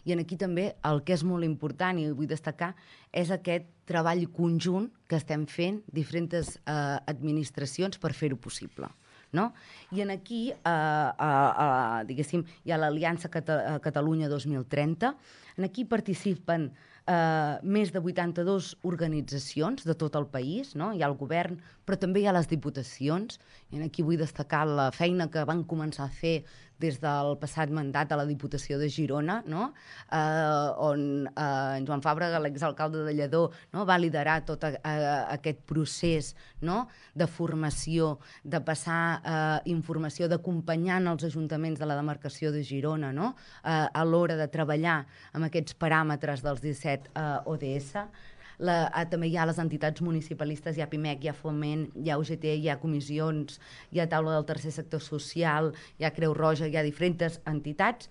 I aquí també el que és molt important i vull destacar és aquest treball conjunt que estem fent diferents administracions per fer-ho possible. No? I aquí, diguéssim, hi ha l'Aliança Catalunya 2030. Aquí participen més de 82 organitzacions de tot el país, no? Hi ha el govern, però també hi ha les diputacions. I aquí vull destacar la feina que van començar a fer des del passat mandat a la Diputació de Girona, no? On en Joan Fàbrega, l'exalcalde de Lledó, no? Va liderar tot aquest procés, no? De formació, de passar informació, d'acompanyar els ajuntaments de la demarcació de Girona, no? A l'hora de treballar amb aquests paràmetres dels 17 ODS. També hi ha les entitats municipalistes, hi ha PIMEC, hi ha Foment, hi ha UGT, hi ha comissions, hi ha taula del tercer sector social, hi ha Creu Roja, hi ha diferents entitats,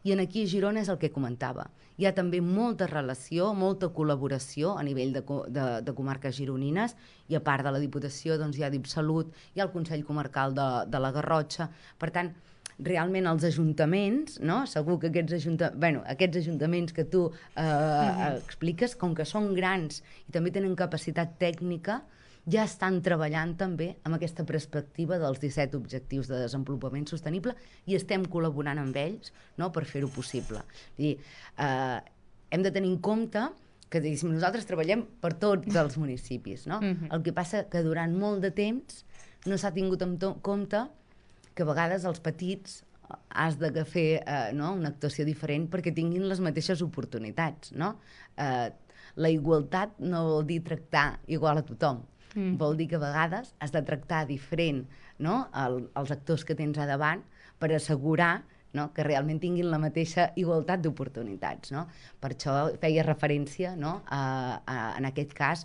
i aquí a Girona és el que comentava. Hi ha també molta relació, molta col·laboració a nivell de comarques gironines, i a part de la Diputació doncs, hi ha DIPSalut, hi ha el Consell Comarcal de la Garrotxa. Per tant, realment els ajuntaments, no? Segur que aquests ajuntaments que tu expliques, com que són grans i també tenen capacitat tècnica, ja estan treballant també amb aquesta perspectiva dels 17 objectius de desenvolupament sostenible i estem col·laborant amb ells, no? Per fer-ho possible. Vull dir, hem de tenir en compte que nosaltres treballem per tots els municipis, no? El que passa que durant molt de temps no s'ha tingut en compte que a vegades els petits has de fer una actuació diferent perquè tinguin les mateixes oportunitats. No? La igualtat no vol dir tractar igual a tothom. Vol dir que a vegades has de tractar diferent, no? Els actors que tens a davant per assegurar, no? Que realment tinguin la mateixa igualtat d'oportunitats. No? Per això feia referència, no? En aquest cas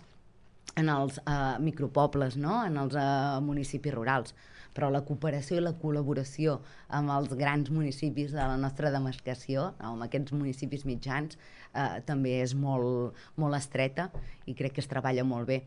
en els micropobles, no? En els municipis rurals. Però la cooperació i la col·laboració amb els grans municipis de la nostra demarcació, amb aquests municipis mitjans, també és molt, molt estreta i crec que es treballa molt bé.